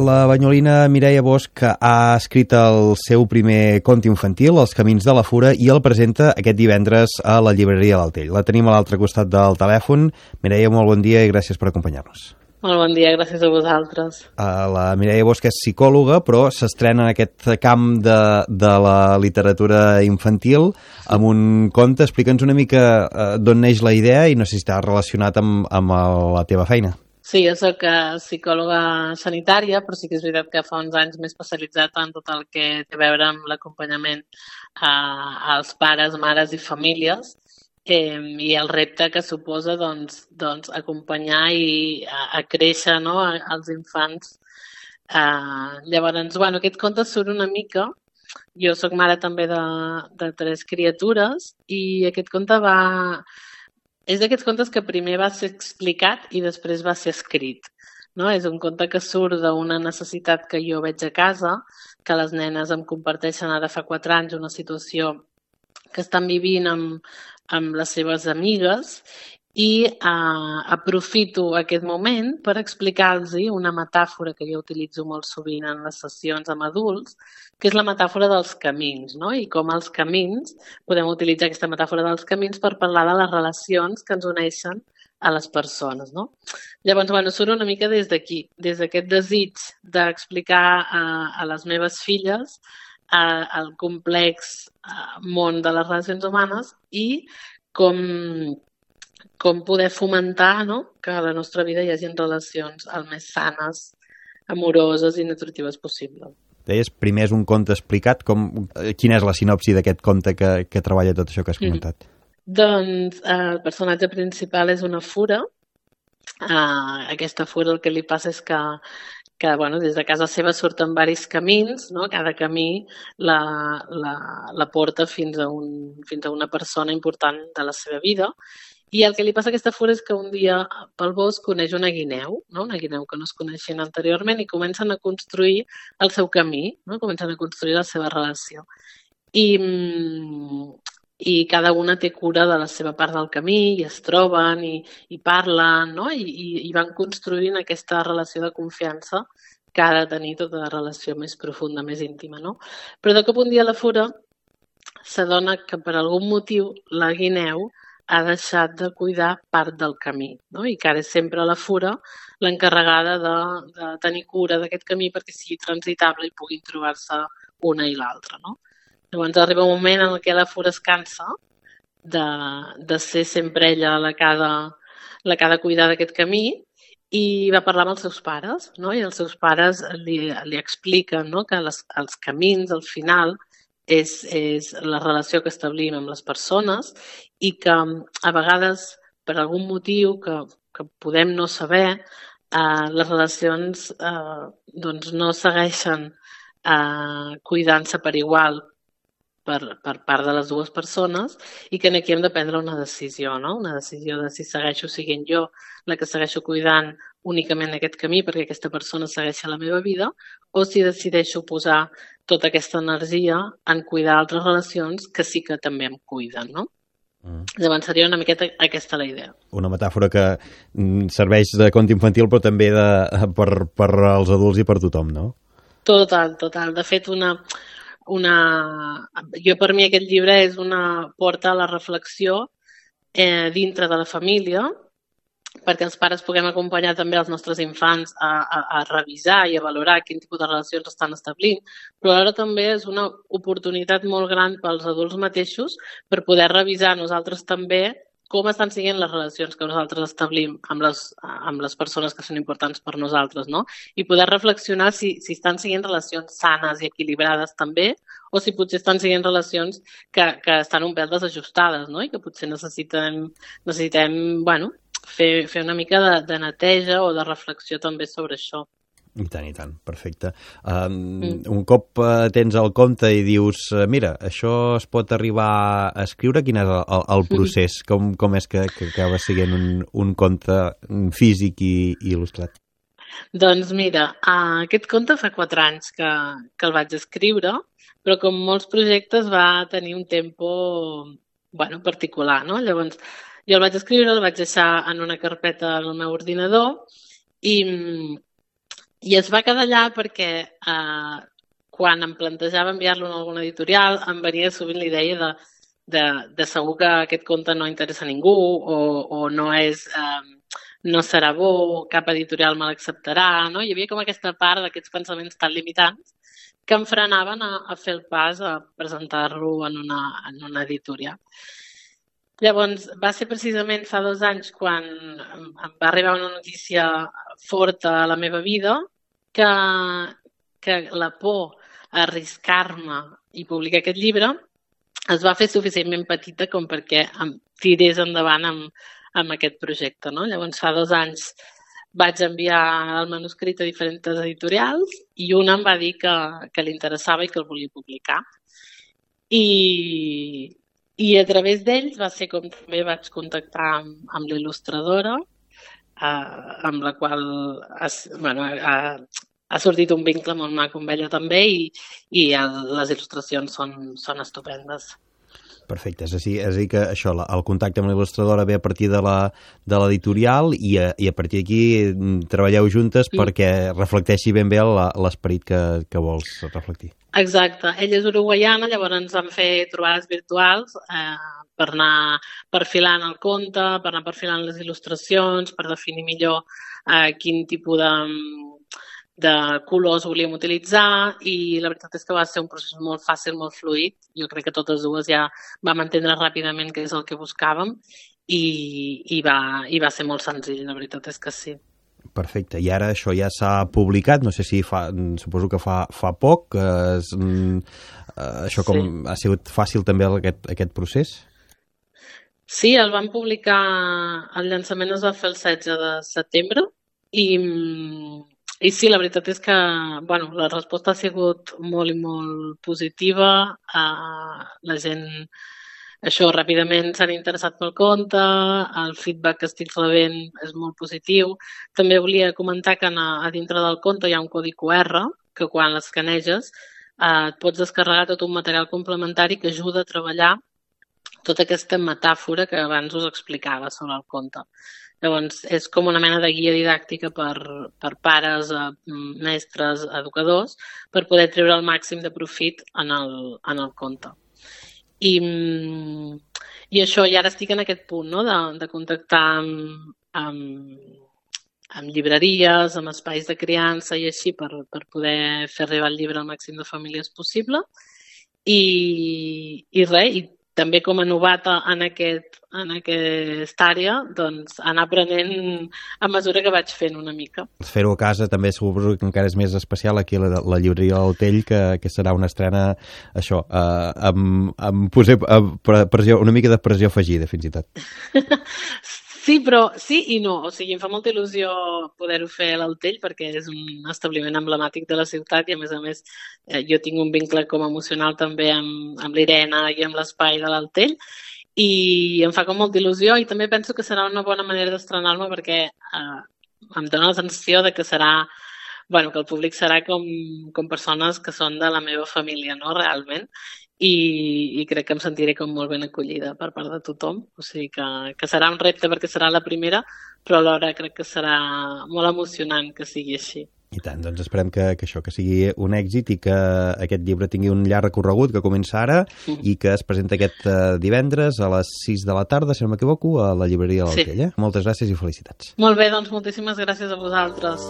La banyolina Mireia Bosch ha escrit el seu primer conte infantil, Els camins de la fura, i el presenta aquest divendres a la llibreria l'Altell. La tenim a l'altre costat del telèfon. Mireia, molt bon dia i gràcies per acompanyar-nos. Molt bon dia, gràcies a vosaltres. La Mireia Bosch és psicòloga, però s'estrena en aquest camp de la literatura infantil amb un conte. Explica'ns una mica d'on neix la idea i no sé si està relacionat amb la teva feina. Sí, jo soc psicòloga sanitària, però sí que és veritat que fa uns anys m'he especialitzat en tot el que té a veure amb l'acompanyament als pares, mares i famílies i el repte que suposa doncs, acompanyar i a créixer, no?, als infants. Llavors, aquest conte surt una mica. Jo soc mare també de 3 criatures i aquest conte és d'aquests contes que primer va ser explicat i després va ser escrit. No? És un conte que surt d'una necessitat que jo veig a casa, que les nenes em comparteixen ara fa 4 anys una situació que estan vivint amb les seves amigues i aprofito aquest moment per explicar-los una metàfora que jo utilitzo molt sovint en les sessions amb adults, que és la metàfora dels camins, no? I com els camins, podem utilitzar aquesta metàfora dels camins per parlar de les relacions que ens uneixen a les persones, no? Llavors, surt una mica des d'aquí, des d'aquest desig d'explicar a les meves filles el complex món de les relacions humanes i com poder fomentar, no?, que a la nostra vida hi hagi relacions el més sanes, amoroses i nutritives possible. Deies, primer és un conte explicat. Quina és la sinopsi d'aquest conte que treballa tot això que has comentat? Doncs el personatge principal és una fura. Aquesta fura el que li passa és que des de casa seva surten diversos camins, no? Cada camí la porta fins a una persona important de la seva vida. I el que li passa a aquesta fura és que un dia pel bosc coneix una guineu, no? Una guineu que no es coneixien anteriorment i comencen a construir el seu camí, no? Comencen a construir la seva relació. I cada una té cura de la seva part del camí i es troben i parlen, no? I van construint aquesta relació de confiança que ha de tenir tota la relació més profunda, més íntima, no? Però de cop un dia la fura s'adona que per algun motiu la guineu ha deixat de cuidar part del camí, no? I que ara és sempre la fura l'encarregada de tenir cura d'aquest camí perquè sigui transitable i puguin trobar-se una i l'altra, no? Llavors arriba un moment en què la fura es cansa de ser sempre ella la que ha de cuidar d'aquest camí i va parlar amb els seus pares, no? I els seus pares li expliquen, no?, que els camins, al final, és la relació que establim amb les persones i que a vegades, per algun motiu que podem no saber, les relacions no segueixen cuidant-se per igual per part de les dues persones i que aquí hem de prendre una decisió, no? Una decisió de si segueixo sent jo la que segueixo cuidant únicament aquest camí perquè aquesta persona segueixi la meva vida o si decideixo posar tota aquesta energia en cuidar altres relacions que sí que també em cuiden, no? Llavors seria una miqueta aquesta la idea. Una metàfora que serveix de conte infantil però també per als adults i per tothom, no? Total. De fet, jo per mi aquest llibre és una porta a la reflexió dintre de la família perquè els pares puguem acompanyar també els nostres infants a revisar i a valorar quin tipus de relacions estan establint, però alhora també és una oportunitat molt gran pels adults mateixos per poder revisar nosaltres també com estan sent les relacions que nosaltres establim amb les persones que són importants per nosaltres, no? I poder reflexionar si estan sent relacions sanes i equilibrades també o si potser estan sent relacions que estan un pèl desajustades, no? I que potser necessitem fer una mica de neteja o de reflexió també sobre això. I tant, perfecte. Un cop tens el conte i dius, mira, això es pot arribar a escriure, quin és el procés? Com és que acaba sent un conte físic i il·lustrat? Doncs mira, aquest conte fa 4 anys que el vaig escriure, però com molts projectes va tenir un tempo particular, no? Llavors, jo el vaig escriure, el vaig deixar en una carpeta al meu ordinador i I es va quedar allà perquè quan em plantejava enviar-lo a alguna editorial em venia sovint la idea de segur que aquest conte no interessa a ningú o no no serà bo, cap editorial me l'acceptarà, no? Hi havia com aquesta part d'aquests pensaments tan limitants que em frenaven a fer el pas a presentar-lo en una editorial. Llavors, va ser precisament fa 2 anys quan em va arribar una notícia forta a la meva vida que la por a arriscar-me i publicar aquest llibre es va fer suficientment petita com perquè em tirés endavant amb aquest projecte, no? Llavors, fa 2 anys vaig enviar el manuscrit a diferents editorials i una em va dir que li interessava i que el volia publicar. I a través d'ells va ser com també vaig contactar amb l'il·lustradora, amb la qual ha sortit un vincle molt maco amb ella també i les il·lustracions són estupendes. Perfecte, és a dir que això, el contacte amb l'il·lustradora ve a partir de l'editorial i a partir d'aquí treballeu juntes perquè reflecteixi ben bé l'esperit que vols reflectir. Exacte, ella és uruguaiana, llavors ens vam fer trobades virtuals per anar perfilant el conte, per anar perfilant les il·lustracions, per definir millor quin tipus de colors volíem utilitzar i la veritat és que va ser un procés molt fàcil, molt fluid. Jo crec que totes dues ja vam entendre ràpidament què és el que buscàvem i va ser molt senzill, la veritat és que sí. Perfecte, i ara això ja s'ha publicat, no sé si suposo que fa poc, això com ha sigut fàcil també aquest procés? Sí, el vam publicar, el llançament es va fer el 16 de setembre i sí, la veritat és que la resposta ha sigut molt i molt positiva. La gent, això, ràpidament s'han interessat pel conte, el feedback que estic rebent és molt positiu. També volia comentar que a dintre del conte hi ha un codi QR que quan l'escaneges et pots descarregar tot un material complementari que ajuda a treballar tota aquesta metàfora que abans us explicava sobre el conte. Llavors, és com una mena de guia didàctica per pares, mestres, educadors, per poder treure el màxim de profit en el conte. I això, i ara estic en aquest punt, no?, de contactar amb llibreries, amb espais de criança i així per poder fer arribar el llibre al màxim de famílies possible. I res, i també com a novata en aquesta àrea, doncs anar aprenent a mesura que vaig fent una mica. Fer-ho a casa també suposo que encara és més especial aquí a la llibreria del Tell, que serà una estrena, això, amb pressió, una mica de pressió afegida, fins i tot. Sí, però sí i no. O sigui, em fa molta il·lusió poder-ho fer a l'Altell perquè és un establiment emblemàtic de la ciutat i, a més, jo tinc un vincle com emocional també amb l'Irena i amb l'espai de l'Altell i em fa com molta il·lusió i també penso que serà una bona manera d'estrenar-me perquè em dóna la sensació de que serà, que el públic serà com persones que són de la meva família, no?, realment. I crec que em sentiré com molt ben acollida per part de tothom, o sigui que serà un repte perquè serà la primera, però alhora crec que serà molt emocionant que sigui així. I tant, doncs esperem que sigui un èxit i que aquest llibre tingui un llarg recorregut que comença ara i que es presenta aquest divendres a les 6 de la tarda, si no m'equivoco, a la llibreria de l'Altell. Moltes gràcies i felicitats. Molt bé, doncs moltíssimes gràcies a vosaltres.